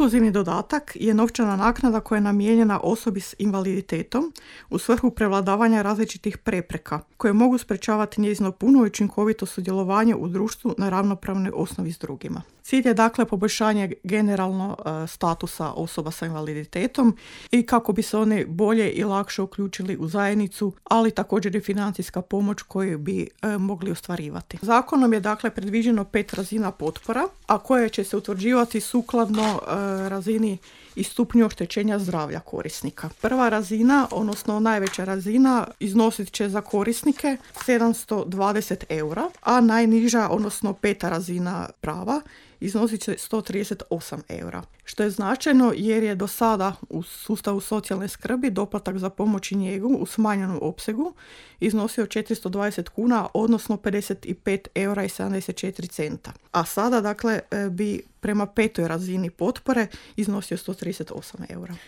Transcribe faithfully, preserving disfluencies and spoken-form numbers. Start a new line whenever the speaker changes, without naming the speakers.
Inkluzivni dodatak je novčana naknada koja je namijenjena osobi s invaliditetom u svrhu prevladavanja različitih prepreka koje mogu sprečavati njezino puno i učinkovito sudjelovanje u društvu na ravnopravnoj osnovi s drugima. Cilj je dakle poboljšanje generalno e, statusa osoba sa invaliditetom i kako bi se oni bolje i lakše uključili u zajednicu, ali također i financijska pomoć koju bi e, mogli ostvarivati. Zakonom je dakle predviđeno pet razina potpora, a koje će se utvrđivati sukladno e, razini i stupnju oštećenja zdravlja korisnika. Prva razina, odnosno najveća razina, iznosit će za korisnike sedamsto dvadeset eura, a najniža, odnosno peta razina prava, iznosit će sto trideset osam eura. Što je značajno jer je do sada u sustavu socijalne skrbi doplatak za pomoć i njegu u smanjenom opsegu iznosio četiristo dvadeset kuna, odnosno pedeset pet eura i sedamdeset četiri centa. A sada, dakle, bi prema petoj razini potpore iznosio sto trideset osam eura.